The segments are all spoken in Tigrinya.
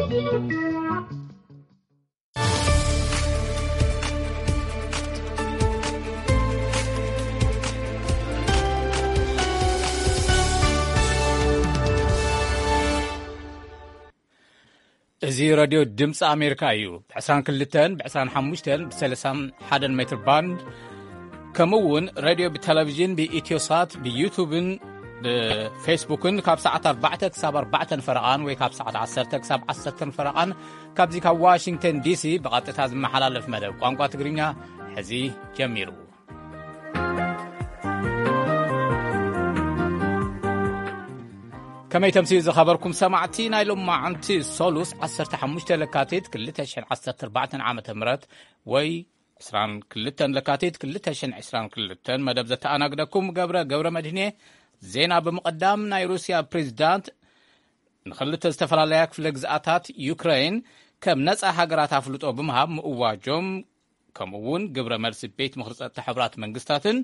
እዚ ሬድዮ ድምፂ ኣሜሪካ እዩ። ብ22፣ ብ25፣ ብ31 ሜትር ባንድ፣ ከምኡ እውን ሬድዮ ብቴሌቪዥን፣ ብኢትዮሳት፣ ብዩቱብን ብፌስቡክን ካብ ሰዓት ኣርባዕተ ክሳብ ኣርባዕተን ፈረቓን ወይ ካብ ሰዓት ዓሰርተ ክሳብ ዓሰርተን ፈረቓን ካብዚ ካብ ዋሽንግተን ዲሲ ብቐጥታ ዝመሓላለፍ መደብ ቋንቋ ትግርኛ ሕዚ ጀሚሩ። ከመይ ተምስዩ ዝኸበርኩም ሰማዕቲ፣ ናይ ሎማዓንቲ ሶሉስ ዓሰርተ ሓሙሽተ ለካቲት ክልተ ሽሕን ዓሰርተ ኣርባዕተን ዓመተ ምህረት ወይ ዕስራን ክልተን ለካቲት ክልተ ሽሕን ዕስራን ክልተን መደብ ዘተኣናግደኩም ገብረ ገብረ መድህኔ። ዜና ብምቕዳም፣ ናይ ሩስያ ፕሬዚዳንት ንኽልተ ዝተፈላለያ ክፍለ ግዝኣታት ዩክሬን ከም ነጻ ሃገራት ኣፍልጦ ብምሃብ ምእዋጆም፣ ከምኡ እውን ግብረ መልሲ ቤት ምኽሪ ጸጥታ ሕቡራት መንግስታትን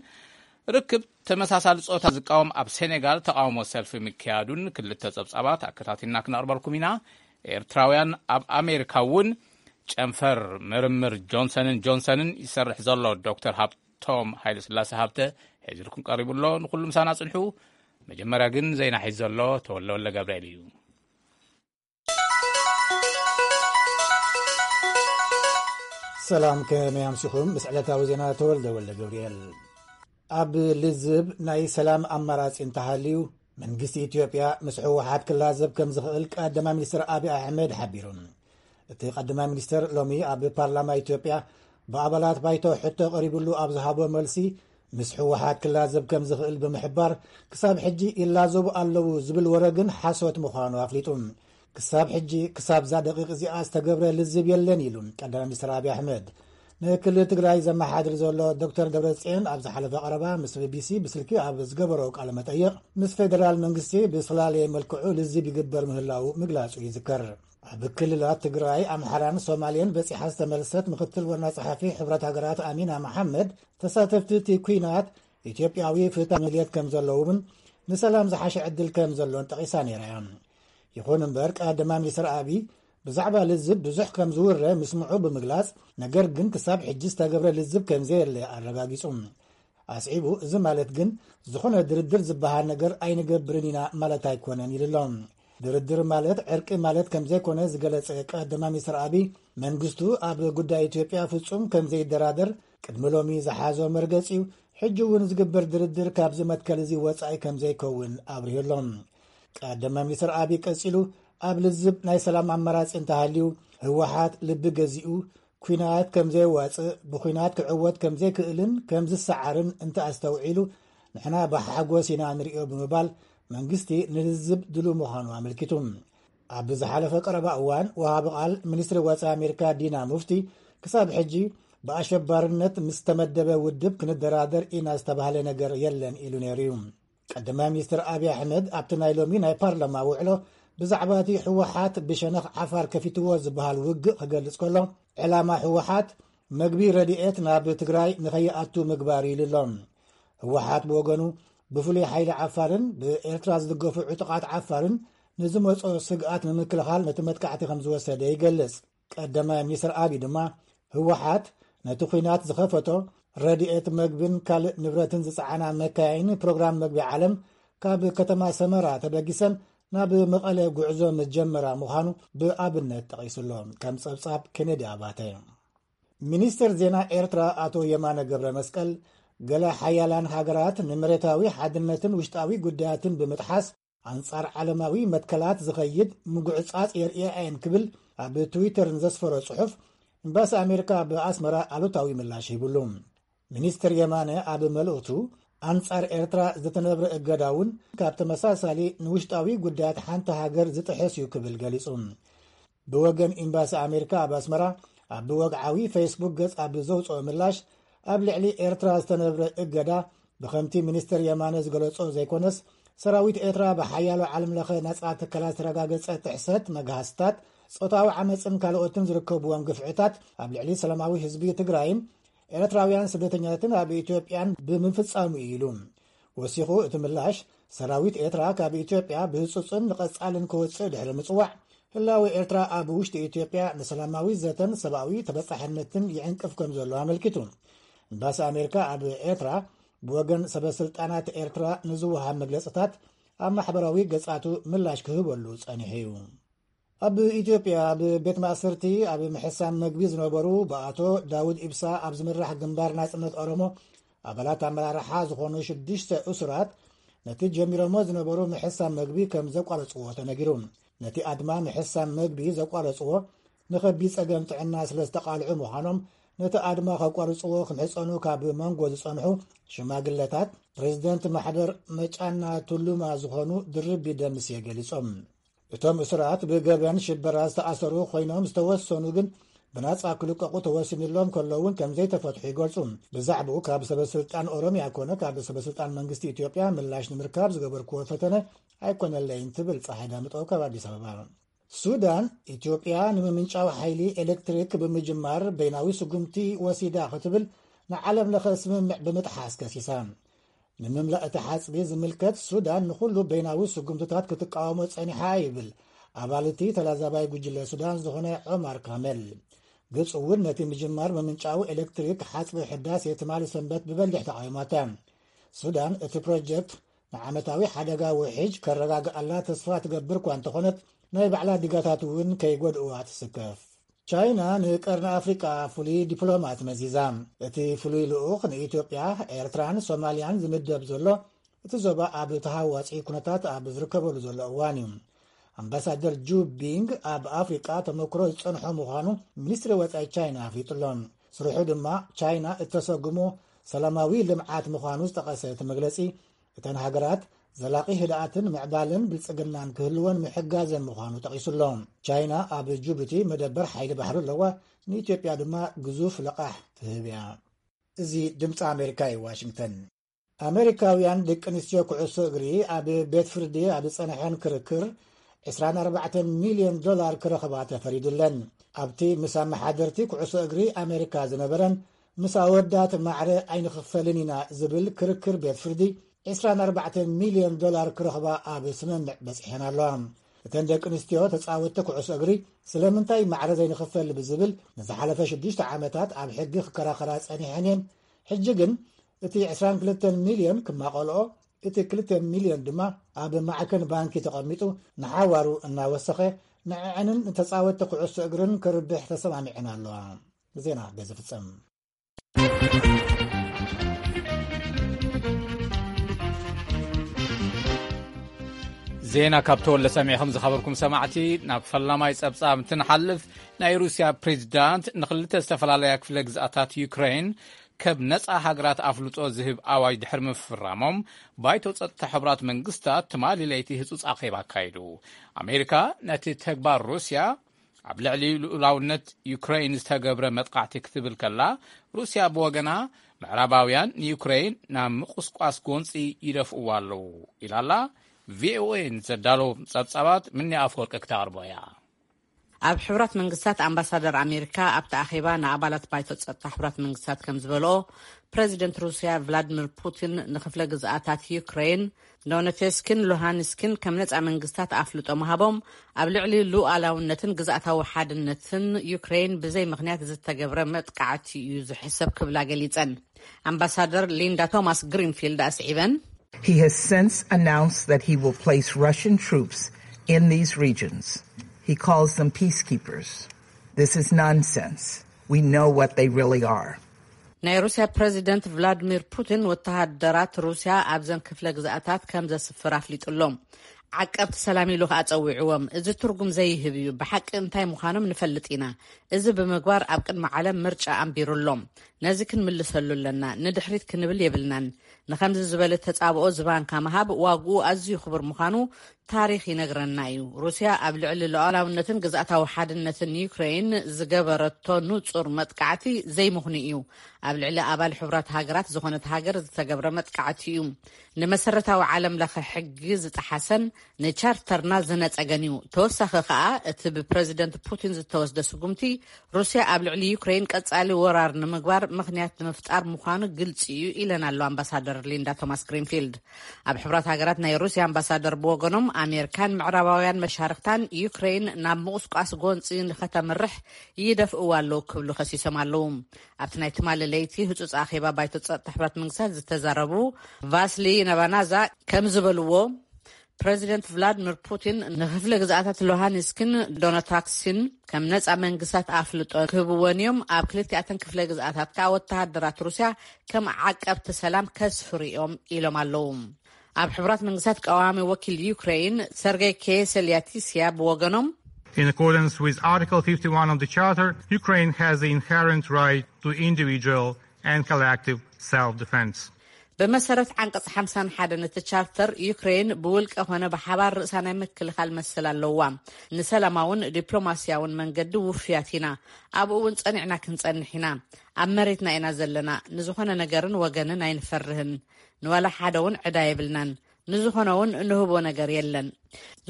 ርክብ ተመሳሳሊ ጾታ ዝቃወም ኣብ ሴኔጋል ተቃውሞ ሰልፊ ምክያዱን ክልተ ጸብጻባት ኣከታቲልና ክነቕርበልኩም ኢና። ኤርትራውያን ኣብ ኣሜሪካ እውን ጨንፈር ምርምር ጆንሰንን ጆንሰንን ይሰርሕ ዘሎ ዶክተር ሃብቶም ሃይለስላሴ ሃብተ ሒዝልኩም ቀሪቡ ኣሎ። ንኹሉ ምሳና ጽንሑ። መጀመርያ ግን ዜና ሒዝ ዘሎ ተወለወለ ገብርኤል እዩ። ሰላም፣ ከመይ ኣምሲኹም? ምስ ዕለታዊ ዜና ተወልደ ወልደ ገብርኤል። ኣብ ልዝብ ናይ ሰላም ኣማራጺ እንተሃልዩ፣ መንግስቲ ኢትዮጵያ ምስ ህወሓት ክላዘብ ከም ዝኽእል ቀዳማይ ሚኒስትር ኣብይ ኣሕመድ ሓቢሩ። እቲ ቀዳማይ ሚኒስትር ሎሚ ኣብ ፓርላማ ኢትዮጵያ ብኣባላት ባይቶ ሕቶ ቀሪብሉ ኣብ ዝሃቦ መልሲ፣ ምስ ህወሓት ክላዘብ ከም ዝኽእል ብምሕባር፣ ክሳብ ሕጂ ይላዘቡ ኣለዉ ዝብል ወረ ግን ሓሶት ምዃኑ ኣፍሊጡ። ክሳብ ሕጂ፣ ክሳብዛ ደቂቕ እዚኣ ዝተገብረ ልዝብ የለን ኢሉ ቀዳማይ ሚኒስትር ኣብይ ኣሕመድ። ንክልል ትግራይ ዘመሓድር ዘሎ ዶክተር ደብረጽዮን ኣብ ዝሓለፈ ቀረባ ምስ ቢቢሲ ብስልኪ ኣብ ዝገበሮ ቃለ መጠይቕ፣ ምስ ፌደራል መንግስቲ ብዝተላለየ መልክዑ ልዝብ ይግበር ምህላዉ ምግላጹ ይዝከር። ኣብ ክልላት ትግራይ፣ ኣምሓራን ሶማሌን በጺሓ ዝተመልሰት ምክትል ዋና ጸሓፊ ሕብረት ሃገራት ኣሚና መሓመድ፣ ተሳተፍቲ እቲ ኲናት ኢትዮጵያዊ ፍታሕ ድልየት ከም ዘለዎምን ንሰላም ዝሓሸ ዕድል ከም ዘሎን ጠቒሳ ነይራ እያ። ይኹን እምበር፣ ቀዳማይ ሚኒስትር ኣብይ ብዛዕባ ልዝብ ብዙሕ ከም ዝውረ ምስምዑ ብምግላጽ፣ ነገር ግን ክሳብ ሕጂ ዝተገብረ ልዝብ ከም ዘየለ ኣረጋጊጹ። ኣስዒቡ፣ እዚ ማለት ግን ዝኾነ ድርድር ዝበሃል ነገር ኣይንገብርን ኢና ማለት ኣይኮነን ኢሉ ኣሎ። ድርድር ማለት ዕርቂ ማለት ከም ዘይኮነ ዝገለጸ ቀዳማይ ሚኒስትር ኣብይ፣ መንግስቱ ኣብ ጉዳይ ኢትዮጵያ ፍጹም ከም ዘይደራደር ቅድሚ ሎሚ ዝሓዞ መርገጺ እዩ። ሕጂ እውን ዝግበር ድርድር ካብዚ መትከል እዚ ወጻኢ ከም ዘይከውን ኣብሪሁ ኣሎ። ቀዳማይ ሚኒስትር ኣብይ ቀጺሉ፣ ኣብ ልዝብ ናይ ሰላም ኣማራጺ እንተሃልዩ፣ ህወሓት ልቢ ገዚኡ ኲናት ከም ዘየዋጽእ፣ ብኲናት ክዕወት ከም ዘይክእልን ከም ዝሰዓርን እንተ ኣስተውዒሉ፣ ንሕና ብሓጎስ ኢና ንርእዮ ብምባል፣ መንግስቲ ንልዝብ ድሉው ምዃኑ ኣመልኪቱ። ኣብ ዝሓለፈ ቀረባ እዋን፣ ወሃቢ ቃል ሚኒስትሪ ወጻኢ ኣሜሪካ ዲና ሙፍቲ፣ ክሳብ ሕጂ ብኣሸባርነት ምስ ተመደበ ውድብ ክንደራደር ኢና ዝተባህለ ነገር የለን ኢሉ ነይሩ እዩ። ቀዳማይ ሚኒስትር ኣብይ ኣሕመድ ኣብቲ ናይ ሎሚ ናይ ፓርላማ ውዕሎ፣ ብዛዕባ እቲ ህወሓት ብሸነኽ ዓፋር ከፊትዎ ዝበሃል ውግእ ክገልጽ ከሎ፣ ዕላማ ህወሓት መግቢ ረድኤት ናብ ትግራይ ንኸይኣቱ ምግባር ኢሉ ኣሎ። ህወሓት ብወገኑ፣ ብፍሉይ ሓይሊ ዓፋርን ብኤርትራ ዝድገፉ ዕጡቓት ዓፋርን ንዝመጾ ስግኣት ንምክልኻል ነቲ መጥቃዕቲ ከም ዝወሰደ ይገልጽ። ቀዳማይ ሚኒስትር ኣብይ ድማ፣ ህወሓት ነቲ ኲናት ዝኸፈቶ፣ ረድኤት መግብን ካልእ ንብረትን ዝጸዓና መካይን ፕሮግራም መግቢ ዓለም ካብ ከተማ ሰመራ ተበጊሰን ናብ መቐለ ጉዕዞ ምስ ጀመራ ምዃኑ ብኣብነት ጠቒሱ ኣሎ። ከም ጸብጻብ ኬኔዲ ኣባተ። ሚኒስትር ዜና ኤርትራ ኣቶ የማነ ገብረ መስቀል፣ ገለ ሓያላን ሃገራት ንመሬታዊ ሓድነትን ውሽጣዊ ጉዳያትን ብምጥሓስ፣ ኣንጻር ዓለማዊ መትከላት ዝኸይድ ምጉዕጻጽ የርእያ እየን ክብል ኣብ ትዊተር ንዘስፈሮ ጽሑፍ፣ ኤምባሲ ኣሜሪካ ኣብ ኣስመራ ኣሉታዊ ምላሽ ሂብሉ። ሚኒስትር የማነ ኣብ መልእኽቱ፣ ኣንጻር ኤርትራ ዝተነብረ እገዳ እውን ካብ ተመሳሳሊ ንውሽጣዊ ጉዳያት ሓንቲ ሃገር ዝጥሕስ እዩ ክብል ገሊጹ። ብወገን ኤምባሲ ኣሜሪካ ኣብ ኣስመራ፣ ኣብ ወግዓዊ ፌስቡክ ገጽ ኣብ ዘውጽኦ ምላሽ፣ ኣብ ልዕሊ ኤርትራ ዝተነብረ እገዳ ብኸምቲ ሚኒስትር የማነ ዝገለጾ ዘይኮነስ፣ ሰራዊት ኤርትራ ብሓያሎ ዓለምለኸ ናጻ ትካላት ዝተረጋገጸ ጥሕሰት መግሃስታት፣ ጾታዊ ዓመጽን ካልኦትን ዝርከብዎም ግፍዕታት ኣብ ልዕሊ ሰላማዊ ህዝቢ ትግራይን ኤርትራውያን ስደተኛታትን ኣብ ኢትዮጵያን ብምፍጻሙ እዩ ኢሉ። ወሲኹ እቲ ምላሽ፣ ሰራዊት ኤርትራ ካብ ኢትዮጵያ ብህጹጽን ንቐጻልን ክወጽእ ድሕሪ ምጽዋዕ፣ ህላወ ኤርትራ ኣብ ውሽጢ ኢትዮጵያ ንሰላማዊ ዘተን ሰብኣዊ ተበጻሕነትን ይዕንቅፍ ከም ዘሎ ኣመልኪቱ። ኤምባሲ ኣሜሪካ ኣብ ኤርትራ ብወገን ሰበ ስልጣናት ኤርትራ ንዝወሃብ መግለጽታት ኣብ ማሕበራዊ ገጻቱ ምላሽ ክህበሉ ጸኒሑ እዩ። ኣብ ኢትዮጵያ ኣብ ቤት ማእሰርቲ ኣብ ምሕሳም መግቢ ዝነበሩ ብኣቶ ዳውድ ኢብሳ ኣብ ዝምራሕ ግንባር ናጽነት ኦሮሞ ኣባላት ኣመራርሓ ዝኾኑ ሽዱሽተ እሱራት ነቲ ጀሚሮሞ ዝነበሩ ምሕሳም መግቢ ከም ዘቋረጽዎ ተነጊሩ። ነቲ ኣድማ ምሕሳም መግቢ ዘቋረጽዎ ንኸቢድ ጸገም ጥዕና ስለ ዝተቓልዑ ምዃኖም፣ ነቲ ኣድማ ከቋርጽዎ ክምሕጸኑ ካብ መንጎ ዝጸንሑ ሽማግለታት ፕሬዚደንት ማሕበር መጫና ቱሉማ ዝኾኑ ድርቢ ደምሴ ገሊጾም። እቶም እሱራት ብገበን ሽበራ ዝተኣሰሩ ኮይኖም ዝተወሰኑ ግን ብናጻ ክልቀቑ ተወሲኑሎም ከለውን ከም ዘይተፈትሑ ይገልጹ። ብዛዕባኡ ካብ ሰበ ስልጣን ኦሮሚያ ኮነ ካብ ሰበ ስልጣን መንግስቲ ኢትዮጵያ ምላሽ ንምርካብ ዝገበርክዎ ፈተነ ኣይኮነለይን ትብል ፀሓይ ዳምጠው ካብ ኣዲስ ኣበባ። ሱዳን፣ ኢትዮጵያ ንምምንጫው ሓይሊ ኤሌክትሪክ ብምጅማር በይናዊ ስጉምቲ ወሲዳ ክትብል ንዓለም ለኸ ስምምዕ ብምጥሓስ ከሲሳ። ንምምላእ እቲ ሓጽቢ ዝምልከት ሱዳን ንኹሉ በይናዊ ስጉምትታት ክትቃወሞ ጸኒሓ ይብል ኣባል እቲ ተላዛባይ ጉጅለ ሱዳን ዝኾነ ዑማር ካመል። ግብፂ እውን ነቲ ምጅማር ምምንጫዊ ኤሌክትሪክ ሓጽቢ ሕዳሴ ትማሊ ሰንበት ብበሊሕ ተቃዊማታ። ሱዳን እቲ ፕሮጀክት ንዓመታዊ ሓደጋ ውሕጅ ከረጋግኣላ ተስፋ ትገብር እኳ እንተኾነት፣ ናይ ባዕላ ዲጋታት እውን ከይጎድእዋ ትስከፍ። ቻይና ንቀርኒ ኣፍሪቃ ፍሉይ ዲፕሎማት መዚዛ። እቲ ፍሉይ ልኡኽ ንኢትዮጵያ፣ ኤርትራን ሶማልያን ዝምደብ ዘሎ እቲ ዞባ ኣብ ተሃዋፂ ኩነታት ኣብ ዝርከበሉ ዘሎ እዋን እዩ። ኣምባሳደር ጁ ቢንግ ኣብ ኣፍሪቃ ተመክሮ ዝጸንሖ ምዃኑ ሚኒስትሪ ወጻኢ ቻይና ኣፍሊጡ ኣሎ። ስርሑ ድማ ቻይና እተሰጉሞ ሰላማዊ ልምዓት ምዃኑ ዝጠቐሰ እቲ መግለጺ፣ እተን ሃገራት ዘላቒ ህድኣትን ምዕባለን ብልጽግናን ክህልወን ምሕጋዘን ምዃኑ ጠቒሱ ኣሎ። ቻይና ኣብ ጅቡቲ መደበር ሓይሊ ባሕሪ ኣለዋ፣ ንኢትዮጵያ ድማ ግዙፍ ለቓሕ ትህብ እያ። እዚ ድምፂ ኣሜሪካ እዩ፣ ዋሽንግተን። ኣሜሪካውያን ደቂ ኣንስትዮ ኩዕሶ እግሪ ኣብ ቤት ፍርዲ ኣብ ዝጸንሐን ክርክር ዕስራን ኣርባዕተን ሚልዮን ዶላር ክረኽባ ተፈሪዱለን። ኣብቲ ምስ ኣመሓደርቲ ኩዕሶ እግሪ ኣሜሪካ ዝነበረን ምስ ኣወዳት ማዕረ ኣይንኽፈልን ኢና ዝብል ክርክር ቤት ፍርዲ ዕስራን ኣርባዕተን ሚልዮን ዶላር ክረኽባ ኣብ ስምምዕ በጺሐን ኣለዋ። እተን ደቂ ኣንስትዮ ተጻወትቲ ኩዕሶ እግሪ ስለምንታይ ማዕረ ዘይንኽፈል ብዝብል ንዝሓለፈ ሽዱሽተ ዓመታት ኣብ ሕጊ ክከራኸራ ጸኒሐን እየን። ሕጂ ግን እቲ ዕስራን ክልተን ሚልዮን ክማቐልኦ፣ እቲ ክልተ ሚልዮን ድማ ኣብ ማዕከን ባንኪ ተቐሚጡ ንሓዋሩ እናወሰኸ ንዕዕንን ንተጻወትቲ ኩዕሶ እግርን ክርብሕ ተሰማሚዐን ኣለዋ። ዜና በዚ ፍጸም። ዜና ካብ ተወለ ሰሚዕኹም ዝኸበርኩም ሰማዕቲ፣ ናብ ፈላማይ ጸብጻብ እንትንሓልፍ፣ ናይ ሩስያ ፕሬዚዳንት ንኽልተ ዝተፈላለያ ክፍለ ግዝኣታት ዩክሬን ከም ነጻ ሃገራት ኣፍልጦ ዝህብ ኣዋጅ ድሕሪ ምፍራሞም፣ ባይቶ ጸጥታ ሕቡራት መንግስታት ትማሊ ለይቲ ህጹጽ ኣኼባ ኣካይዱ። ኣሜሪካ ነቲ ተግባር ሩስያ ኣብ ልዕሊ ልኡላውነት ዩክሬን ዝተገብረ መጥቃዕቲ ክትብል ከላ፣ ሩስያ ብወገና ምዕራባውያን ንዩክሬን ናብ ምቁስቋስ ጎንጺ ይደፍእዋ ኣለዉ ኢላላ። ቪኦኤ ንዘዳሎ ጸብጻባት ምኒ ኣፈወርቂ ክተቕርቦ እያ። ኣብ ሕቡራት መንግስታት ኣምባሳደር ኣሜሪካ ኣብቲ ኣኼባ ንኣባላት ባይቶ ጸጥታ ሕቡራት መንግስታት ከም ዝበልኦ፣ ፕረዚደንት ሩስያ ቭላድሚር ፑቲን ንክፍለ ግዝኣታት ዩክሬን ዶነቴስክን ሉሃንስክን ከም ነጻ መንግስታት ኣፍልጦ ምሃቦም፣ ኣብ ልዕሊ ሉኣላውነትን ግዝኣታዊ ሓድነትን ዩክሬን ብዘይ ምኽንያት ዝተገብረ መጥቃዕቲ እዩ ዝሕሰብ ክብላ ገሊጸን። ኣምባሳደር ሊንዳ ቶማስ ግሪንፊልድ ኣስዒበን፣ He has since announced that he will place Russian troops in these regions. He calls them peacekeepers. This is nonsense. We know what they really are. ናይ ሩስያ ፕረዚደንት ቭላድሚር ፑቲን፣ ወተሃደራት ሩስያ ኣብዘን ክፍለ ግዝኣታት ከም ዘስፍር ኣፍሊጡ ኣሎ። ዓቀብቲ ሰላም ኢሉ ከኣ ጸዊዕዎም። እዚ ትርጉም ዘይህብ እዩ። ብሓቂ እንታይ ምዃኖም ንፈልጥ ኢና። እዚ ብምግባር ኣብ ቅድሚ ዓለም ምርጫ ኣንቢሩ ኣሎ። ነዚ ክንምልሰሉ ኣለና። ንድሕሪት ክንብል የብልናን። ንኸምዚ ዝበለ ተጻብኦ ዝባንካ ምሃብ ዋግኡ ኣዝዩ ክቡር ምዃኑ ታሪኽ ይነግረና እዩ። ሩስያ ኣብ ልዕሊ ሉዓላውነትን ግዝኣታዊ ሓድነትን ዩክሬን ዝገበረቶ ንጹር መጥቃዕቲ ዘይምኽኑ እዩ። ኣብ ልዕሊ ኣባል ሕቡራት ሃገራት ዝኾነት ሃገር ዝተገብረ መጥቃዕቲ እዩ። ንመሰረታዊ ዓለም ለኸ ሕጊ ዝጠሓሰን ንቻርተርና ዝነጸገን እዩ። ተወሳኺ ከኣ እቲ ብፕረዚደንት ፑቲን ዝተወስደ ስጉምቲ ሩስያ ኣብ ልዕሊ ዩክሬን ቀጻሊ ወራር ንምግባር ምኽንያት ንምፍጣር ምዃኑ ግልጺ እዩ ኢለን ኣሎ ኣምባሳደር ሊንዳ ቶማስ ግሪንፊልድ። ኣብ ሕቡራት ሃገራት ናይ ሩስያ ኣምባሳደር ብወገኖም፣ ኣሜሪካን ምዕራባውያን መሻርክታን ዩክሬን ናብ ምቑስቋስ ጎንፂ ንኸተምርሕ ይደፍእዋ ኣለዉ ክብሉ ከሲሶም ኣለዉ። ኣብቲ ናይ ትማሊ ለይቲ ህጹጽ ኣኼባ ባይቶ ጸጥታ ሕቡራት መንግስታት ዝተዛረቡ ቫስሊ ነባናዛ ከም ዝበልዎ፣ ፕረዚደንት ቭላድሚር ፑቲን ንክፍለ ግዝኣታት ሉሃንስክን ዶነታክስን ከም ነጻ መንግስታት ኣፍልጦ ክህብወን እዮም። ኣብ ክልቲኣተን ክፍለ ግዝኣታት ከኣ ወተሃደራት ሩስያ ከም ዓቀብቲ ሰላም ከስፍሩ እዮም ኢሎም ኣለዉ። ኣብ ሕቡራት መንግስታት ቀዋሚ ወኪል ዩክሬን ሰርጌይ ኬሰልያቲስያ ብወገኖም፣ In accordance with Article fifty-one of the Charter, Ukraine has the inherent right to individual and collective self-defense. ብመሰረት ዓንቀጽ ሓምሳን ሓደን እቲ ቻርተር፣ ዩክሬን ብውልቀ ኾነ ብሓባር ርእሳ ናይ ምክልኻል መሰል ኣለዋ። ንሰላማውን ዲፕሎማስያውን መንገዲ ውፍያት ኢና። ኣብኡ እውን ጸኒዕና ክንጸንሕ ኢና። ኣብ መሬትና ኢና ዘለና። ንዝኾነ ነገርን ወገንን ኣይንፈርህን። ንዋላ ሓደ እውን ዕዳ የብልናን። ንዝኾነ እውን እንህቦ ነገር የለን።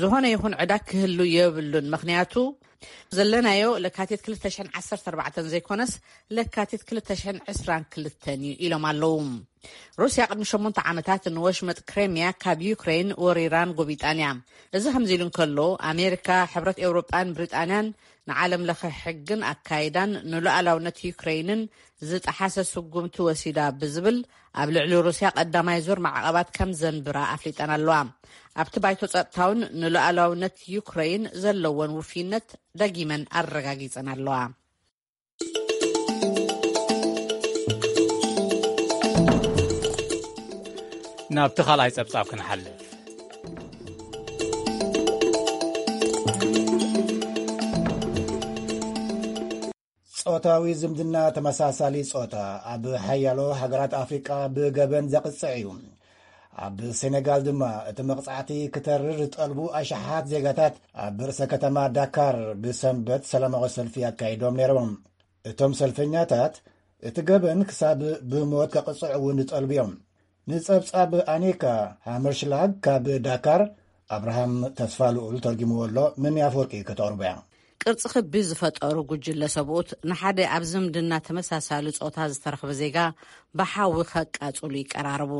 ዝኾነ ይኹን ዕዳ ክህሉ የብሉን። ምኽንያቱ፣ ዘለናዮ ለካቲት ክልተ ሽሕን ዓሰርተ ኣርባዕተን ዘይኮነስ፣ ለካቲት ክልተ ሽሕን ዕስራን ክልተን እዩ ኢሎም ኣለዉ። ሩስያ ቅድሚ ሸሞንተ ዓመታት ንወሽመጥ ክሬምያ ካብ ዩክሬን ወሪራን ጎቢጣን እያ። እዚ ከምዚ ኢሉ እንከሎ፣ ኣሜሪካ፣ ሕብረት ኤውሮጳን ብሪጣንያን ንዓለም ለኸ ሕግን ኣካይዳን ንሉዓላውነት ዩክሬይንን ዝጠሓሰ ስጉምቲ ወሲዳ ብዝብል ኣብ ልዕሊ ሩስያ ቀዳማይ ዙር ማዕቐባት ከም ዘንብራ ኣፍሊጠን ኣለዋ። ኣብቲ ባይቶ ጸጥታውን ንሉዓላውነት ዩክሬይን ዘለወን ውፍይነት ደጊመን ኣረጋጊጸን ኣለዋ። ናብቲ ካልኣይ ጸብጻብ ክንሓልፍ። ጾታዊ ዝምድና ተመሳሳሊ ጾታ ኣብ ሓያሎ ሃገራት ኣፍሪቃ ብገበን ዘቕጽዕ እዩ። ኣብ ሴኔጋል ድማ እቲ መቕጻዕቲ ክተርር ዝጠልቡ ኣሽሓት ዜጋታት ኣብ ርእሰ ከተማ ዳካር ብሰንበት ሰላማዊ ሰልፊ ኣካይዶም ነይሮም። እቶም ሰልፈኛታት እቲ ገበን ክሳብ ብሞት ከቕጽዕ እውን ዝጠልቡ እዮም። ንጸብጻብ ኣኒካ ሃመርሽላግ ካብ ዳካር፣ ኣብርሃም ተስፋልኡል ተርጊምዎ ኣሎ። ምን ኣፈወርቂ ከተቕርቦ እያ። ቅርጺ ክቢ ዝፈጠሩ ጉጅለ ሰብኡት ንሓደ ኣብ ዝምድና ተመሳሳሊ ጾታ ዝተረኽበ ዜጋ ብሓዊ ከቃጽሉ ይቀራረቡ።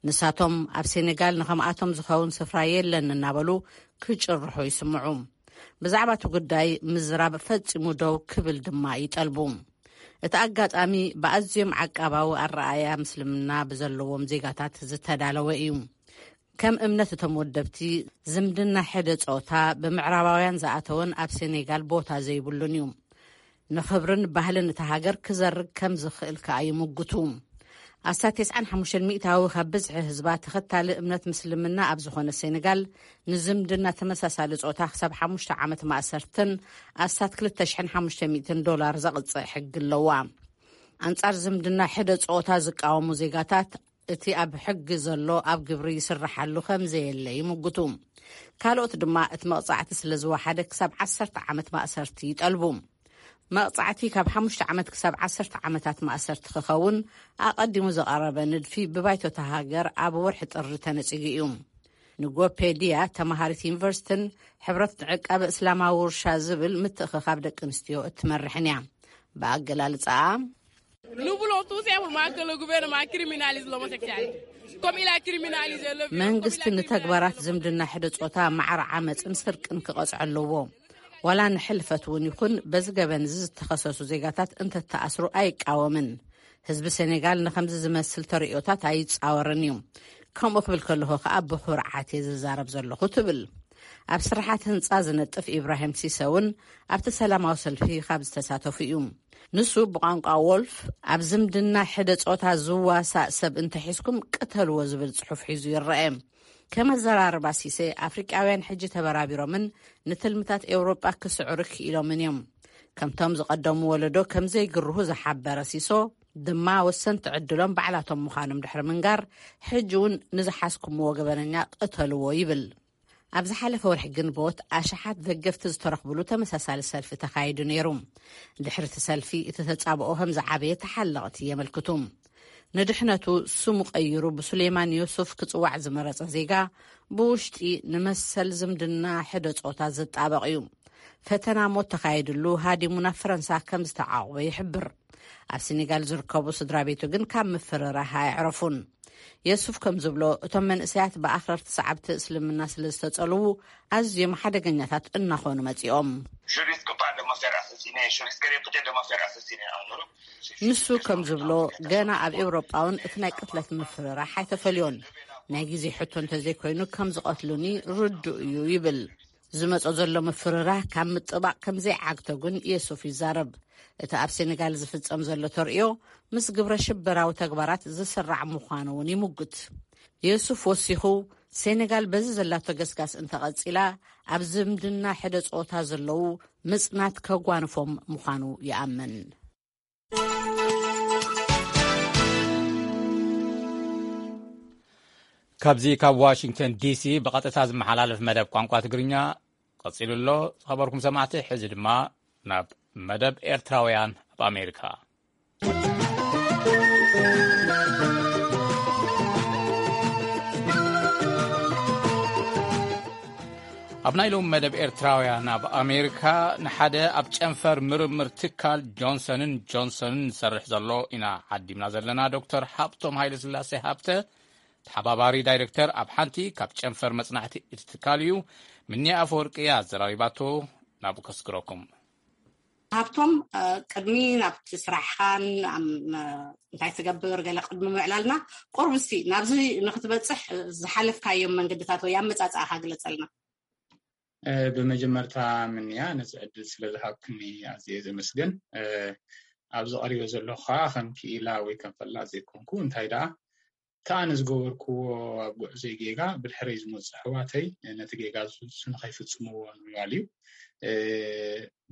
ንሳቶም ኣብ ሴኔጋል ንኸምኣቶም ዝኸውን ስፍራ የለን እናበሉ ክጭርሑ ይስምዑ። ብዛዕባ እቲ ጉዳይ ምዝራብ ፈጺሙ ደው ክብል ድማ ይጠልቡ። እቲ ኣጋጣሚ ብኣዝዮም ዓቃባዊ ኣረኣእያ ምስልምና ብዘለዎም ዜጋታት ዝተዳለወ እዩ። ከም እምነት እቶም ወደብቲ፣ ዝምድና ሕደ ጾታ ብምዕራባውያን ዝኣተወን ኣብ ሴኔጋል ቦታ ዘይብሉን እዩ። ንኽብርን ባህልን እታ ሃገር ክዘርግ ከም ዝኽእል ከኣ ይምጉቱ። ኣስታት ተስዓን ሓሙሽተን ሚእታዊ ካብ ብዝሒ ህዝባ ተኸታሊ እምነት ምስልምና ኣብ ዝኾነ ሴኔጋል፣ ንዝምድና ተመሳሳሊ ጾታ ክሳብ ሓሙሽተ ዓመት ማእሰርትን ኣስታት ክልተ ሽሕን ሓሙሽተ ሚእትን ዶላር ዘቕጽዕ ሕጊ ኣለዋ። ኣንጻር ዝምድና ሕደ ጾታ ዝቃወሙ ዜጋታት፣ እቲ ኣብ ሕጊ ዘሎ ኣብ ግብሪ ይስርሓሉ ከም ዘየለ ይምጉቱ። ካልኦት ድማ እቲ መቕጻዕቲ ስለ ዝወሓደ ክሳብ ዓሰርተ ዓመት ማእሰርቲ ይጠልቡ። መቕጻዕቲ ካብ ሓሙሽተ ዓመት ክሳብ ዓሰርተ ዓመታት ማእሰርቲ ክኸውን ኣቐዲሙ ዝቐረበ ንድፊ ብባይቶ እታ ሃገር ኣብ ወርሒ ጥሪ ተነጺጉ እዩ። ንጎፔድያ፣ ተመሃሪት ዩኒቨርሲቲን ሕብረት ዕቃበ እስላማዊ ውርሻ ዝብል ምትእኽኻብ ደቂ ኣንስትዮ እትመርሕን እያ። ብኣገላልጻኣ፣ Nous voulons tout simplement que le gouvernement criminalise l'homosexualité. Comme il a criminalisé le viol, comme il a መንግስቲ criminalisé ንተግባራት le ዝምድና ሕደ ጾታ ማዕረ ዓመጽን ስርቅን ክቐጽዖ ኣለዎ። ዋላ ንሕልፈት እውን ይኹን በዚ ገበን እዚ ዝተኸሰሱ ዜጋታት እንተተኣስሩ ኣይቃወምን። ህዝቢ ሴኔጋል ንኸምዚ ዝመስል ተርእዮታት ኣይጻወርን እዩ። ከምኡ ክብል ከለኹ ከኣ ብኹርዓት እየ ዝዛረብ ዘለኹ ትብል። ኣብ ስራሓት ህንጻ ዝነጥፍ ኢብራሂም ሲሰ እውን ኣብቲ ሰላማዊ ሰልፊ ካብ ዝተሳተፉ እዩ። ንሱ ብቋንቋ ዎልፍ፣ ኣብ ዝምድና ሕደ ጾታ ዝዋሳእ ሰብ እንተሒዝኩም ቅተልዎ ዝብል ጽሑፍ ሒዙ ይረአ። ከም ኣዘራርባ ሲሰ፣ ኣፍሪቃውያን ሕጂ ተበራቢሮምን ንትልምታት ኤውሮጳ ክስዕሩ ክኢሎምን እዮም። ከምቶም ዝቐደሙ ወለዶ ከም ዘይግርሁ ዝሓበረ ሲሶ ድማ፣ ወሰንቲ ዕድሎም ባዕላቶም ምዃኖም ድሕሪ ምንጋር፣ ሕጂ እውን ንዝሓዝኩምዎ ገበነኛ ቅተልዎ ይብል። ኣብ ዝሓለፈ ወርሒ ግንቦት፣ ኣሽሓት ደገፍቲ ዝተረኽብሉ ተመሳሳሊ ሰልፊ ተኻይዱ ነይሩ። ድሕሪ እቲ ሰልፊ፣ እቲ ተጻብኦ ከም ዝዓበየ ተሓለቕቲ የመልክቱ። ንድሕነቱ ስሙ ቀይሩ ብሱሌማን ዮሱፍ ክጽዋዕ ዝመረጸ ዜጋ፣ ብውሽጢ ንመሰል ዝምድና ሕደ ጾታ ዝጣበቕ እዩ። ፈተና ሞት ተኻይድሉ ሃዲሙ ናብ ፈረንሳ ከም ዝተዓቑበ ይሕብር። ኣብ ሴኔጋል ዝርከቡ ስድራ ቤቱ ግን ካብ ምፍርራህ ኣየዕረፉን። የሱፍ ከም ዝብሎ፣ እቶም መንእሰያት ብኣኽረርቲ ሰዓብቲ እስልምና ስለ ዝተጸልዉ ኣዝዮም ሓደገኛታት እናኾኑ መጺኦም። Je risque pas de me faire assassiner, je risquerai peut-être de me faire assassiner en Europe. ንሱ ከም ዝብሎ፣ ገና ኣብ ኤውሮጳ እውን እቲ ናይ ቅትለት ምፍርራሕ ኣይተፈልዮን። ናይ ግዜ ሕቶ እንተዘይኮይኑ ከም ዝቐትሉኒ ርዱእ እዩ ይብል። ዝመጾ ዘሎ ምፍርራህ ካብ ምጥባቕ ከም ዘይዓግቶ ግን የሱፍ ይዛረብ። እቲ ኣብ ሴኔጋል ዝፍጸም ዘሎ ተርእዮ ምስ ግብረ ሽበራዊ ተግባራት ዝስራዕ ምዃኑ እውን ይምጉት። የሱፍ ወሲኹ፣ ሴኔጋል በዚ ዘላቶ ገስጋስ እንተቐጺላ፣ ኣብ ዝምድና ሕደ ጾታ ዘለዉ ምጽናት ከጓንፎም ምዃኑ ይኣምን። ካብዚ ካብ ዋሽንግተን ዲሲ ብቐጥታ ዝመሓላለፍ መደብ ቋንቋ ትግርኛ ቀጺሉ ኣሎ። ዝኸበርኩም ሰማዕቲ፣ ሕዚ ድማ ናብ መደብ ኤርትራውያን ኣብ ኣሜሪካ። ኣብ ናይ ሎም መደብ ኤርትራውያን ኣብ ኣሜሪካ፣ ንሓደ ኣብ ጨንፈር ምርምር ትካል ጆንሰንን ጆንሰንን ዝሰርሕ ዘሎ ኢና ዓዲምና ዘለና። ዶክተር ሃብቶም ሃይለስላሴ ሃብተ፣ ተሓባባሪ ዳይሬክተር ኣብ ሓንቲ ካብ ጨንፈር መጽናዕቲ እቲ ትካል እዩ። ምንያ ኣፈወርቂ እያ ኣዘራሪባቶ። ናብኡ ከስግረኩም። ሃብቶም፣ እ፣ ቅድሚ ናብቲ ስራሕኻን ኣም-፣ እ፣ እንታይ ትገብር ገለ ቅድሚ ምዕላልና፣ ቁርብ እስቲ ናብዚ ንክትበጽሕ፣ እ፣ ዝሓለፍካዮም መንገድታት ወይ ኣመጻጽኣኻ ግለጸልና። እ፣ ብመጀመርታ ምንያ ነዚ ዕድል ስለ ዝሃብክኒ ኣዝየ ዘመስግን። እ፣ ኣብዚ ቀሪበ ዘለኹ ከዓ ከም ክኢላ ወይ ከም ፈላጥ ዘይኮንኩ፣ እንታይ ደኣ እቲ ኣነ ዝገበርክዎ ኣብ ጉዕዞይ ጌጋ ብድሕረይ ዝመፁ ኣሕዋተይ ነቲ ጌጋ ዝፍፁ ንኸይፍፅምዎ ንምባል እዩ። እ፣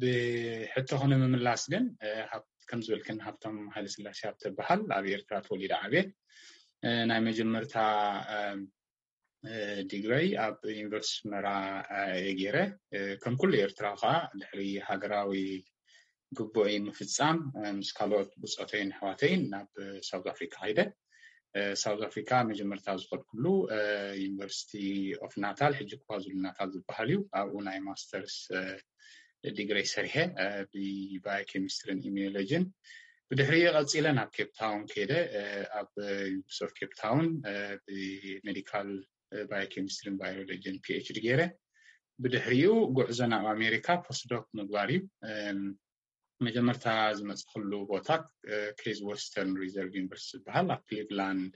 ብሕቶኺ ንምምላስ ግን፣ እ፣ ሃብ-፣ ከም ዝበልክን ሃብቶም ሃይለስላሴ ሃብተ በሃል ኣብ ኤርትራ ተወሊደ ዓብየ። እ፣ ናይ መጀመርታ፣ እ፣ እ፣ ዲግረይ ኣብ ዩኒቨርሲቲ ኣስመራ፣ እ፣ እየ ገይረ። እ፣ ከም ኩሉ ኤርትራዊ ከዓ ድሕሪ ሃገራዊ ግቡእይ ምፍጻም፣ እ፣ ምስ ካልኦት ብጾተይን ኣሕዋተይን ናብ ሳውዝ ኣፍሪካ ከይደ። እ፣ ሳውዝ ኣፍሪካ መጀመርታ ዝኸድኩሉ፣ እ፣ ዩኒቨርሲቲ ኦፍ ናታል፣ ሕጂ ኳዙሉ ናታል ዝበሃል እዩ። ኣብኡ ናይ ማስተርስ፣ እ፣ ዲግሪ ሰሪሐ፣ እ፣ ብባዮኬሚስትሪን ኢሚዮሎጂን። ብድሕሪኡ ቀጺለ ናብ ኬፕ ታውን ከይደ፣ እ፣ ኣብ ዩኒቨርሲቲ ኦፍ ኬፕ ታውን፣ እ፣ ብሜዲካል፣ እ፣ ባዮኬሚስትሪን ባዮሎጂን ፒ ኤች ዲ ገይረ። ብድሕሪኡ ጉዕዞ ናብ ኣሜሪካ ፖስትዶክ ምግባር እዩ። እም፣ መጀመርታ ዝመፅእኩሉ ቦታ፣ እ፣ ኬዝ ወስተርን ሪዘርቭ ዩኒቨርሲቲ ዝበሃል ኣብ ክሊቭላንድ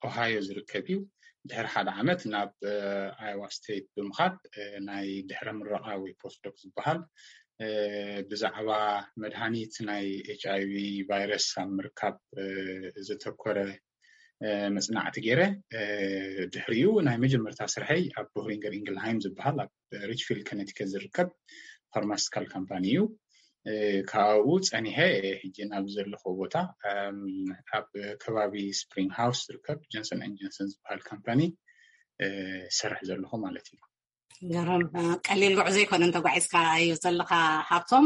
ኦሃዮ ዝርከብ እዩ። ድሕሪ ሓደ ዓመት ናብ፣ እ፣ ኣዮዋ ስቴት ብምኻድ፣ እ፣ ናይ ድሕረ ምረቓ ወይ ፖስትዶክ ዝበሃል፣ እ፣ ብዛዕባ መድሃኒት ናይ ኤች ኣይ ቪ ቫይረስ ኣብ ምርካብ፣ እ፣ ዘተኮረ፣ እ፣ መጽናዕቲ ገይረ። እ፣ ድሕሪኡ ናይ መጀመርታ ስርሐይ ኣብ ቦህሪንገር ኢንግልሃይም ዝበሃል ኣብ ሪችፊልድ ኮነቲከት ዝርከብ ፋርማሲቲካል ካምፓኒ እዩ። እ፣ ካብኡ ጸኒሐ፣ እ፣ ሕጂ ናብ ዘለኹ ቦታ፣ እም፣ ኣብ ከባቢ ስፕሪንግ ሃውስ ዝርከብ ጆንሰን ኤንድ ጆንሰን ዝበሃል ካምፓኒ፣ እ፣ ዝሰርሕ ዘለኹ ማለት እዩ። ገረም፣ እ፣ ቀሊል ጉዕዞ ኣይኮነን ተጓዒዝካዮ ዘለኻ ሃብቶም።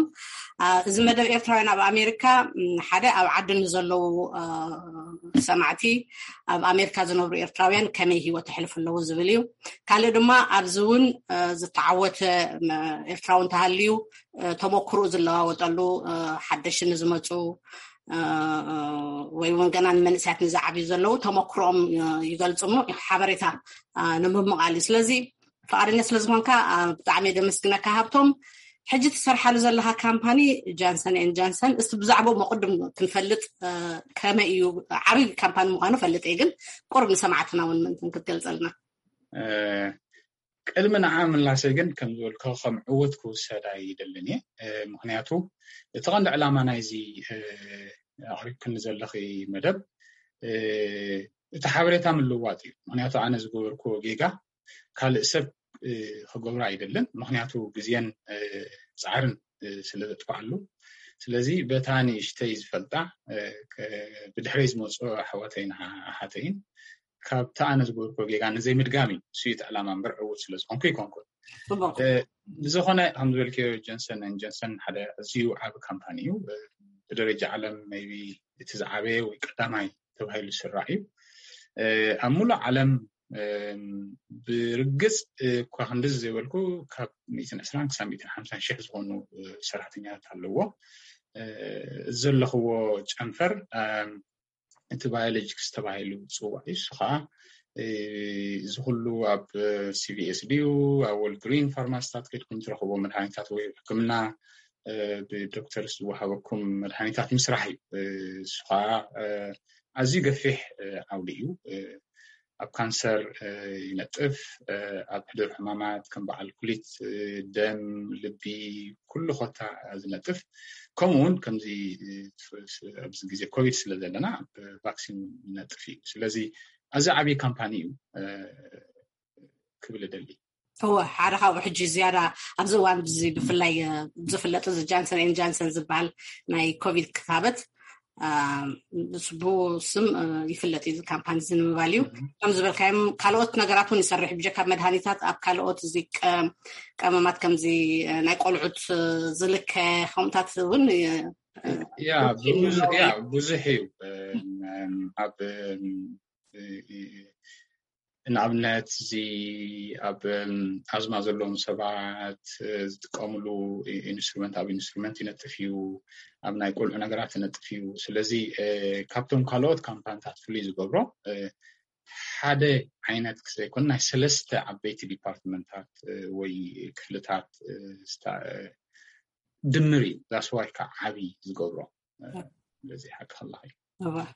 እ፣ እዚ መደብ ኤርትራውያን ኣብ ኣሜሪካ፣ እም፣ ሓደ ኣብ ዓዲ ንዘለዉ፣ እ፣ ሰማዕቲ፣ ኣብ ኣሜሪካ ዝነብሩ ኤርትራውያን ከመይ ህይወት የሕልፉ ኣለዉ ዝብል እዩ። ካልእ ድማ ኣብዚ እውን፣ እ፣ ዝተዓወተ፣ ም-፣ ኤርትራዊ እንተሃልዩ፣ እ፣ ተመክሮኡ ዝለዋወጠሉ፣ እ፣ ሓደሽቲ ንዝመጹ፣ እ፣ እ፣ ወይ እውን ገና ንመንእሰያት ንዝዓብዩ ዘለዉ ተመክሮኦም፣ እ፣ ይገልጹ እሞ ሓበሬታ፣ እ፣ ንምምቓል እዩ። ስለዚ ፍቓደኛ ስለ ዝኾንካ፣ እ፣ ብጣዕሚ እየ ደመስግነካ ሃብቶም። ሕጂ ትሰርሓሉ ዘለኻ ካምፓኒ ጃንሰን ኤን ጃንሰን፣ እስቲ ብዛዕባኡ መቕድም ክንፈልጥ፣ እ፣ ከመይ እዩ? ዓብዪ ካምፓኒ ምዃኑ ፈልጥ እየ፣ ግን ቁሩብ ንሰማዕትና እውን ምእንትን ክትገልጸልና። እ፣ ቅድሚ ንዓ ምላሰይ ግን ከም ዝበልኮ ከም ዕውት ክውሰድ ኣይደልን እየ። እ፣ ምኽንያቱ እቲ ቀንዲ ዕላማ ናይዚ፣ እ፣ ኣቕሪብክኒ ዘለኺ መደብ፣ እ፣ እቲ ሓበሬታ ምልዋጥ እዩ። ምኽንያቱ ኣነ ዝገበርክዎ ጌጋ ካልእ ሰብ፣ እ፣ ክገብሮ ኣይደልን። ምኽንያቱ ግዜን፣ እ፣ ጻዕርን፣ እ፣ ስለ ዘጥፍኣሉ። ስለዚ በታ ንእሽተይ ዝፈልጣ፣ እ፣ ከ-፣ ብድሕረይ ዝመጹ ኣሕዋተይን ኣሓ-፣ ኣሓተይን ካብቲ ኣነ ዝገበርክዎ ጌጋ ንዘይምድጋም እዩ። እሱ እዩ እቲ ዕላማ እምበር ዕዉት ስለ ዝኾንኩ ኣይኮንኩን። ጽቡቕ። እ፣ ብዝኾነ ከም ዝበልክዮ ጆንሰን ኤንድ ጆንሰን ሓደ ኣዝዩ ዓቢ ካምፓኒ እዩ። እ፣ ብደረጃ ዓለም ሜይቢ እቲ ዝዓበየ ወይ ቀዳማይ ተባሂሉ ዝስራዕ እዩ። እ፣ ኣብ ሙሉእ ዓለም ብርግፅ እኳ ክንድዚ ዘይበልኩ ካብ ሚእትን ዕስራን ክሳብ ሚእትን ሓምሳን ሽሕ ዝኾኑ ሰራሕተኛታት ኣለዎ። ዘለኽዎ ጨንፈር እቲ ባዮሎጂክስ ተባሂሉ ዝፅዋዕ እዩ። እሱ ከዓ እዚ ኩሉ ኣብ ሲቪኤስ ድዩ ኣብ ወልግሪን ፋርማሲታት ከድኩም ትረኽቦ መድሃኒታት ወይ ሕክምና ብዶክተርስ ዝወሃበኩም መድሃኒታት ምስራሕ እዩ። እሱ ከዓ ኣዝዩ ገፊሕ ዓውዲ እዩ። ኣብ ካንሰር ይነጥፍ፣ ኣብ ሕዱር ሕማማት ከም በዓል ኩሊት፣ ደም፣ ልቢ፣ ኩሉ ኮታ ዝነጥፍ። ከምኡ እውን ከምዚ ኣብዚ ግዜ ኮቪድ ስለ ዘለና ቫክሲን ይነጥፍ እዩ። ስለዚ ኣዚ ዓብዪ ካምፓኒ እዩ ክብል እደሊ። እወ፣ ሓደ ካብኡ ሕጂ ዝያዳ ኣብዚ እዋን እዚ ብፍላይ ዝፍለጥ እዚ ጃንሰን ኤን ጃንሰን ዝበሃል ናይ ኮቪድ ክታበት ብስም ይፍለጥ እዩ። ካምፓኒ እዚ ንምባል እዩ። ከም ዝበልካዮም ካልኦት ነገራት እውን ይሰርሕ ብጀካ መድሃኒታት ኣብ ካልኦት እዚ ቀመማት ከምዚ ናይ ቆልዑት ዝልከ ከምኡታት እውን ያ ብዙሕ እዩ። ኣብ ንኣብነት እዚ ኣብ ኣዝማ ዘለዎም ሰባት ዝጥቀምሉ ኢንስትሩመንት ኣብ ኢንስትሩመንት ይነጥፍ እዩ። ኣብ ናይ ቆልዑ ነገራት ይነጥፍ እዩ። ስለዚ ካብቶም ካልኦት ካምፓኒታት ፍሉይ ዝገብሮ ሓደ ዓይነት ክዘይኮን ናይ ሰለስተ ዓበይቲ ዲፓርትመንታት ወይ ክፍልታት ድምር እዩ። ዛስዋይ ከዓ ዓብዪ ዝገብሮ ስለዚ ሓቂ ከለካ እዩ።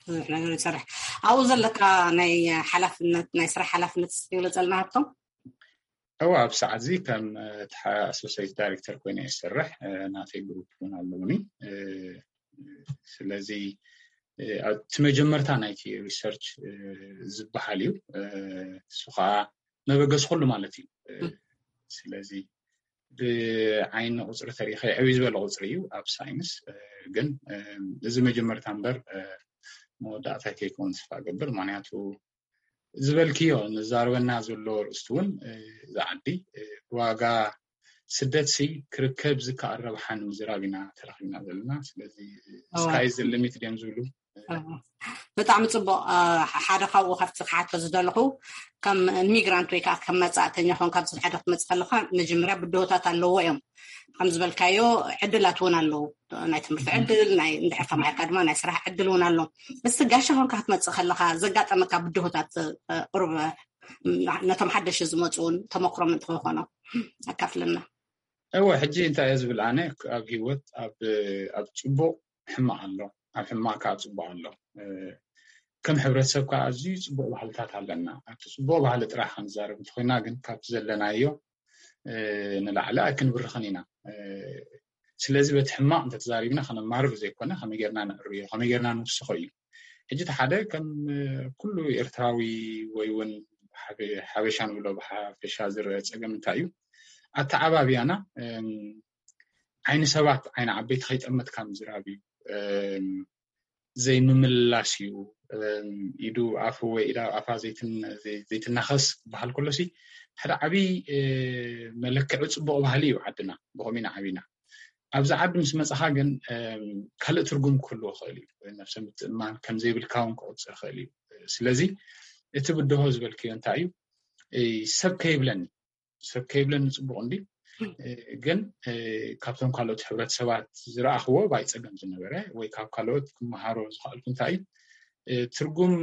ብዙሕ ነገር ይሰርሕ ኣብኡ ዘለካ ናይ ሓላፍነት ናይ ስራሕ ሓላፍነት ይግለፀልና ሃብቶም። እዋ ኣብ ሰዓት እዚ ከም ኣሶሴት ዳይሬክተር ኮይነ ይሰርሕ። ናተይ ግሩፕ እውን ኣለውኒ። ስለዚ እቲ መጀመርታ ናይቲ ሪሰርች ዝበሃል እዩ። እሱ ከዓ መበገስ ኩሉ ማለት እዩ። ስለዚ ብዓይኒ ቁፅሪ ተሪኸ ዕብይ ዝበለ ቁፅሪ እዩ ኣብ ሳይንስ። ግን እዚ መጀመርታ እምበር መወዳእታ ከይከውን ስፋ ገብር። ምክንያቱ ዝበልክዮ ንዛረበና ዘሎ ርእስቲ እውን እዚ ዓዲ ዋጋ ስደት ሲ ክርከብ ዝከኣል ረብሓ ንምዝራብ ኢና ተረኪብና ዘለና። ስለዚ ስካይ ዝልሚት ድዮም ዝብሉ ብጣዕሚ ፅቡቅ። ሓደ ካብኡ ካብቲ ክሓቶ ዝደለኹ ከም ሚግራንት ወይ ከዓ ከም መፃእተኛ ኾን ካብዚ ሓደ ክትመፅእ ከለካ መጀመርያ ብድሆታት ኣለዎ እዮም። ከም ዝበልካዮ ዕድላት እውን ኣለዉ። ናይ ትምህርቲ ዕድል ናይ እንድሕር ተማሂርካ ድማ ናይ ስራሕ ዕድል እውን ኣሎ። እስቲ ጋሻ ኾንካ ክትመፅእ ከለካ ዘጋጠመካ ብድሆታት ቁርብ ነቶም ሓደሽ ዝመፁ እውን ተመክሮም እንትኾኖ ኣካፍልና። እወ ሕጂ እንታይ እየ ዝብል ኣነ ኣብ ሂወት ኣብ ፅቡቅ ሕማቅ ኣሎ ኣብ ሕማቅ ከዓ ፅቡቅ ኣሎ። ከም ሕብረተሰብ ከዓ ኣዝዩ ፅቡቅ ባህልታት ኣለና ኣብቲ ፅቡቅ ባህሊ ጥራሕ ክንዛረብ እንተኮይና ግን ካብቲ ዘለናዮ ንላዕሊ ኣይክንብርኽን ኢና። ስለዚ በቲ ሕማቅ እንተተዛሪብና ከነማርር ዘይኮነ ከመይ ጌርና ንዕርዮ ከመይ ጌርና ንውስኾ እዩ። ሕጂ እቲ ሓደ ከም ኩሉ ኤርትራዊ ወይ እውን ሓበሻ ንብሎ ብሓፈሻ ዝረአ ፀገም እንታይ እዩ ኣተዓባብያና ዓይኒ ሰባት ዓይኒ ዓበይቲ ከይጠመትካ ምዝራብ እዩ። ዘይምምልላስ እዩ። ኢዱ ኣፉ ወይ ኢዳ ኣፋ ዘይትናኸስ ክበሃል ከሎ ሲ ሓደ ዓብዪ መለክዒ ፅቡቕ ባህሊ እዩ ዓድና። ብኸምኡ ኢና ዓቢና። ኣብዚ ዓዲ ምስ መፃኻ ግን ካልእ ትርጉም ክህልዎ ይኽእል እዩ። ነብሰ ምትእምማን ከም ዘይብልካ እውን ክቑፅር ይኽእል እዩ። ስለዚ እቲ ብድሆ ዝበልክዮ እንታይ እዩ ሰብ ከይብለኒ ሰብ ከይብለኒ ፅቡቕ እንዲ ግን ካብቶም ካልኦት ሕብረተሰባት ዝረኣኽዎ ባይ ፀገም ዝነበረ ወይ ካብ ካልኦት ክመሃሮ ዝኽኣልኩ እንታይ እዩ ትርጉም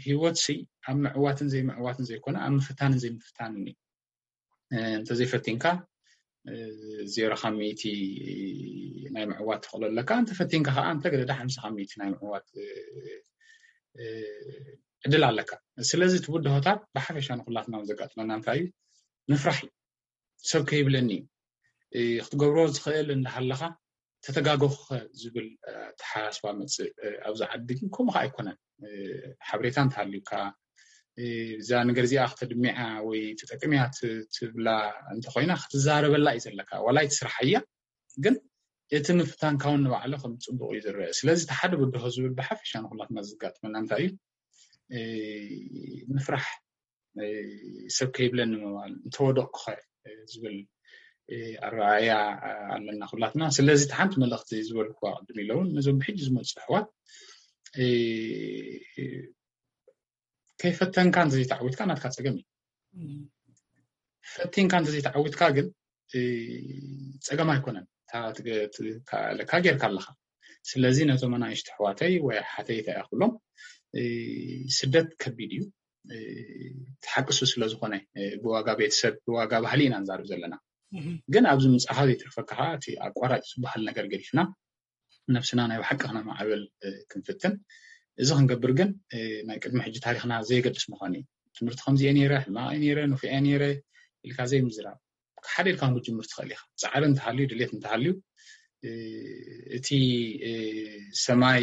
ሂወት ሲ ኣብ ምዕዋትን ዘይምዕዋትን ዘይኮነ ኣብ ምፍታንን ዘይምፍታንን እዩ። እንተዘይፈቲንካ ዜሮ ካብ ሚእቲ ናይ ምዕዋት ትኽእሎ ኣለካ። እንተፈቲንካ ከዓ እንተ ገደዳ ሓምሳ ካብ ሚእቲ ናይ ምዕዋት ዕድል ኣለካ። ስለዚ እቲ ብድሆታት ብሓፈሻ ንኩላትና ዘጋጥመና እንታይ እዩ ምፍራሕ እዩ። ሰብ ከይብለኒ እዩ ክትገብሮ ዝኽእል እንዳሃለኻ ተተጋገኹኸ ዝብል ተሓሳስባ መፅእ ኣብዚ ዓዲ ግን ከምኡ ከዓ ኣይኮነን። ሓበሬታ እንተሃልዩካ እዛ ነገር እዚኣ ክተድሚዓ ወይ ተጠቅምያ ትብላ እንተኮይና ክትዛረበላ እዩ ዘለካ ዋላ ኣይትስርሓያ ግን እቲ ምፍታንካ እውን ንባዕሉ ከም ፅቡቅ እዩ ዝረአ። ስለዚ እቲ ሓደ ብድሆ ዝብል ብሓፈሻ ንኩላትና ዘጋጥመና እንታይ እዩ ምፍራሕ ሰብ ከይብለኒ ምባል እንተወደቅኩኸ ዝብል ኣረኣእያ ኣለና ኩላትና። ስለዚ እቲ ሓንቲ መልእኽቲ ዝበልኩዋ ቅድም ኢለ እውን ነዞም ብሕጂ ዝመፁ ኣሕዋት ከይፈተንካ እንተዘይተዓዊትካ ናትካ ጸገም እዩ። ፈቲንካ እንተዘይተዓዊትካ ግን እ፣ ጸገም ኣይኮነን። እታ ትገ- ት- ካ- ለካ ጌርካ ኣለኻ። ስለዚ ነቶም ኣናእሽቱ ኣሕዋተይ ወይ ኣሓተይ እንታይ እያ ክብሎም፣ እ፣ ስደት ከቢድ እዩ። እ፣ ትሓቅሱ ስለ ዝኾነ፣ እ፣ ብዋጋ ቤተሰብ፣ ብዋጋ ባህሊ ኢና ንዛረብ ዘለና። ግን ኣብዚ ምጻኻ ዘይትርፈካ ኸዓ እቲ ኣቋራጭ ዝበሃል ነገር ገዲፍና ነብስና ናይ ብሓቂ ክነማዕብል ክንፍትን። እዚ ክንገብር ግን ናይ ቅድሚ ሕጂ ታሪኽና ዘየገድስ ምዃኑ እዩ። ትምህርቲ ከምዚ እየ ነይረ፣ ሕማቕ እየ ነይረ፣ ንፉዕ እየ ነይረ ኢልካ ዘይምዝራብ። ሓደ ኢልካ እውን ክትጅምር ትኽእል ኢኻ። ጻዕሪ እንተሃልዩ፣ ድሌት እንተሃልዩ፣ እቲ ሰማይ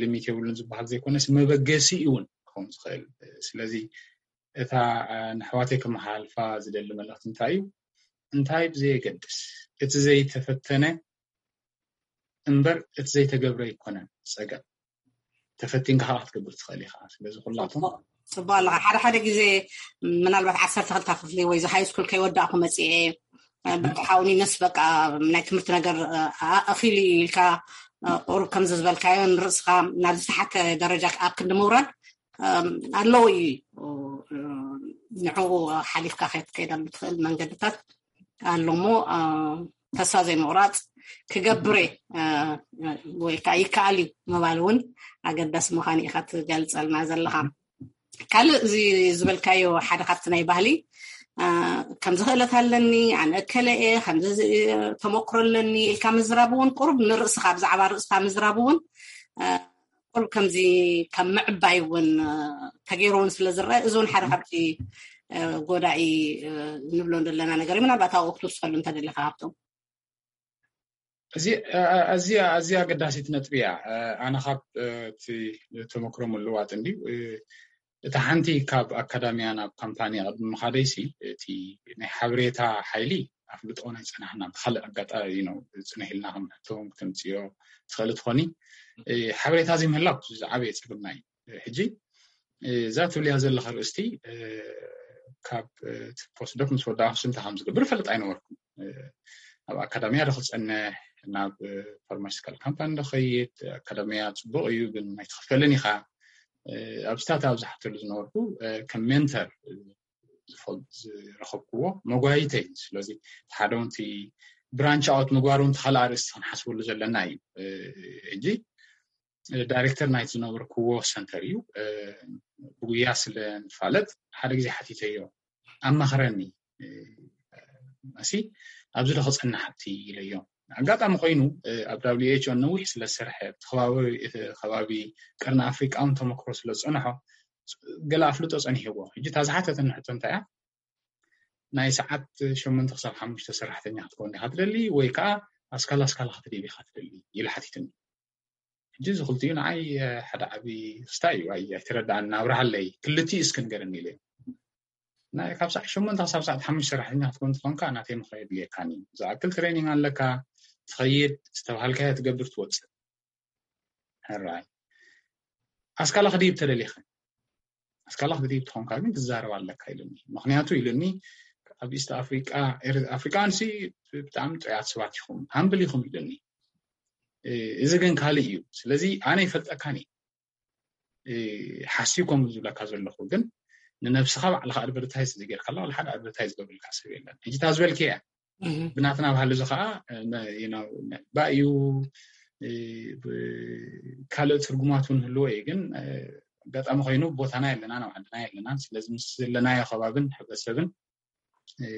ሊሚት የብሉን ዝበሃል ዘይኮነስ መበገሲ እውን ክኸውን ዝኽእል። ስለዚ እታ ንኣሕዋተይ ከመሓላልፋ ዝደሊ መልእኽቲ እንታይ እዩ? እንታይ ብዘየገድስ እቲ ዘይተፈተነ እምበር እቲ ዘይተገብረ ኣይኮነን ጸገም። ተፈቲንካ ከዓ ክትገብር ትኽእል ኢኻ። ስለዚ ኩላቶም ጽቡቅ ኣለኻ። ሓደ ሓደ ግዜ ምናልባት ዓሰርተ ክልተ ክፍሊ ወይ ሃይ ስኩል ከይወዳእኩ መጽኤ በቃ ሓውኒ ነስ በቃ ናይ ትምህርቲ ነገር ኣኺሉ ኢልካ ቁሩብ ከምዚ ዝበልካዮ ንርእስኻ ናብ ዝተሓተ ደረጃ ኣብ ክንዲ ምውራድ ኣለዉ እዩ። ንዕኡ ሓሊፍካ ክትከይደሉ ትኽእል መንገድታት ኣሎ እሞ ተስፋ ዘይምቑራፅ ክገብር እየ ወይ ከዓ ይከኣል እዩ ምባል እውን ኣገዳሲ ምዃኑ ኢኻ ትገልፀልና ዘለኻ። ካልእ እዚ ዝበልካዮ ሓደ ካብቲ ናይ ባህሊ ከምዚ ክእለት ኣለኒ ኣነ እከለ እየ ከምዚ ተመክሮ ኣለኒ ኢልካ ምዝራብ እውን ቁሩብ ንርእስኻ ብዛዕባ ርእስኻ ምዝራብ እውን ቁሩብ ከምዚ ካብ ምዕባይ እውን ተገይሩ እውን ስለ ዝረአ እዚ እውን ሓደ ካብቲ ጎዳኢ ንብሎ ዘለና ነገር እዩ። ምናልባት ኣብኡ ክትውስኸሉ እንተደለካ ሃብቶም። እዚ ኣዝያ ኣዝያ ኣገዳሲት ነጥቢ እያ። ኣነ ካብ እቲ ተመክሮ ምልዋጥ እንድዩ እታ ሓንቲ ካብ ኣካዳሚያ ናብ ካምፓኒ ቅድሚ ምኻደይሲ እቲ ናይ ሓበሬታ ሓይሊ ኣፍልጦ ናይ ጸናሕና ብካልእ ኣጋጣሚ ነው ጽንሕ ኢልና ከም ሕቶም ክተምጽዮ ትኽእል ትኾኒ። ሓበሬታ ዘይምህላው ዝዓበየ ጸገምና እዩ። ሕጂ እዛ ትብልያ ዘለኻ ርእስቲ ካብ ፖስዶክ ምስ ወዳእኩ ስንታ ከም ዝገብር ፈልጥ ኣይነበርኩም። ኣብ ኣካዳሚያ ዶ ክጸንሕ ናብ ፋርማሲካል ካምፓኒ ዶ ኸይድ ኣካዳሚያ ጽቡቕ እዩ ግን ኣይትኽፈልን ኢኻ። ኣብስታት ኣብ ዝሓተሉ ዝነበርኩ ከም ሜንተር ዝረኸብክዎ መጓይተይ ስለዚ ሓደ ንቲ ብራንች ኣውት ምግባር ንቲ ካልእ ኣርእስቲ ክንሓስበሉ ዘለና እዩ። ሕጂ ዳይሬክተር ናይቲ ዝነበርክዎ ሰንተር እዩ። ብጉያ ስለ ንፋለጥ ሓደ ግዜ ሓቲተዮ ኣማኽረኒ መሲ ኣብዚ ዶ ክጸንሕ ኣብቲ ኢለዮ። ኣጋጣሚ ኮይኑ ኣብ ዳብሊው ኤች ኦ ነዊሕ ስለ ዝሰርሐ እቲ ከባቢ ቀርኒ ኣፍሪቃ እውን ተመክሮ ስለ ዝጸንሖ ገለ ኣፍልጦ ጸኒሕዎ። ሕጂ እታ ዝሓተተኒ ሕቶ እንታይ እያ? ናይ ሰዓት ሸሞንተ ክሳብ ሓሙሽተ ሰራሕተኛ ክትከውን ዲኻ ትደሊ ወይ ከዓ ኣስካላ ኣስካላ ክትድይብ ኢኻ ትደሊ ኢሉ ሓቲትኒ። ሕጂ እዚ ክልቲኡ ንዓይ ሓደ ዓቢ ክስታይ እዩ። ኣይ ኣይተረዳኣን ኣብርሃለይ ክልቲኡ እስኪ ንገረኒ ኢለ ናይ ካብ ሰዓት ሸሞንተ ክሳብ ሰዓት ሓሙሽተ ሰራሕተኛ ክትከውን ትኾንካ ናተይ ምኽሪ የድልየካን እዩ። ዝኣክል ትሬኒንግ ኣለካ ትኸይድ ዝተባሃልካዮ ትገብር ትወፅእ። ሕራይ ኣስካላ ክድይብ ተደሊኸ ኣስካላ ክትድይብ ትኾንካ ግን ትዛረብ ኣለካ ኢሉኒ። ምክንያቱ ኢሉኒ ኣብ ኢስት ኣፍሪቃ ኣፍሪቃንሲ ብጣዕሚ ጥዑያት ሰባት ኢኹም ሃምብል ኢኹም ኢሉኒ። እዚ ግን ካልእ እዩ። ስለዚ ኣነ ይፈልጠካን እዩ ሓስዩ ከምኡ ዝብለካ ዘለኹ ግን ንነብስኻ ባዕልኻ ኣድቨርታይዝ ዝጌርካ ኣሎ ሓደ ኣድቨርታይዝ ዝገብርልካ ሰብ የለን። ሕጂ እታ ዝበልክያ ብናትና ባህሊ እዚ ከዓ ባእዩ ካልእ ትርጉማት እውን ህልዎ እዩ ግን ኣጋጣሚ ኮይኑ ቦታና የለና ናብ ዓድና የለና ስለዚ ምስ ዘለናዮ ከባብን ሕብረተሰብን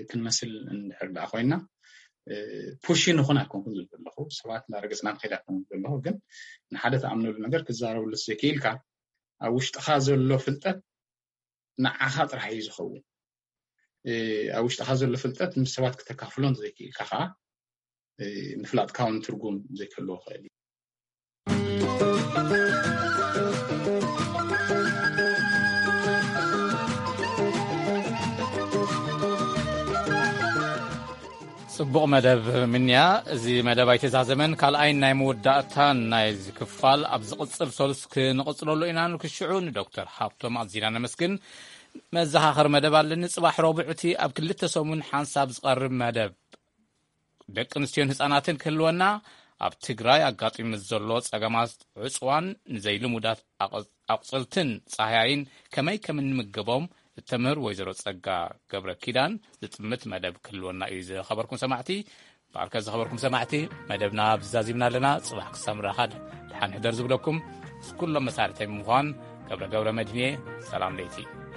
ክንመስል እንድሕር ደኣ ኮይና ፑሽ ንኹን ኣይኮንኩን ዝብል ዘለኹ ሰባት እናረገፅና ንኸይድ ኣይኮንኩን ዘለኹ ግን ንሓደ ተኣምነሉ ነገር ክዛረብሉ ዘይክኢልካ ኣብ ውሽጥኻ ዘሎ ፍልጠት ንዓኻ ጥራሕ እዩ ዝኸውን ኣብ ውሽጥኻ ዘሎ ፍልጠት ምስ ሰባት ክተካፍሎን ዘይክኢልካ ከዓ ምፍላጥካ እውን ትርጉም ዘይክህልዎ ክእል እዩ። ጽቡቕ መደብ ምንያ። እዚ መደብ ኣይተዛዘመን ካልኣይን ናይ መወዳእታን ናይዚ ክፋል ኣብ ዝቕጽል ሰሉስ ክንቕጽለሉ ኢና። ንክሽዑ ንዶክተር ሃብቶም ኣዚና ነመስግን። መዘኻኸሪ መደብ ኣለኒ። ጽባሕ ረቡዕ እቲ ኣብ ክልተ ሰሙን ሓንሳብ ዝቐርብ መደብ ደቂ ኣንስትዮን ህጻናትን ክህልወና ኣብ ትግራይ ኣጋጢሙ ዘሎ ጸገማት ዕጽዋን ንዘይልሙዳት ኣቕ- ኣቑጽልትን ጻህያይን ከመይ ከም እንምገቦም እተምህር ወይዘሮ ጸጋ ገብረ ኪዳን ዝጥምት መደብ ክህልወና እዩ። ዝኸበርኩም ሰማዕቲ፣ በዓልካ ዝኸበርኩም ሰማዕቲ፣ መደብና ኣብዚ ዛዚምና ኣለና። ጽባሕ ክሳብ ምራኸብ ደሓን ሕደር ዝብለኩም ምስ ኩሎም መሳርሕተይ ብምዃን ገብረ ገብረ መድህንየ። ሰላም ለይቲ።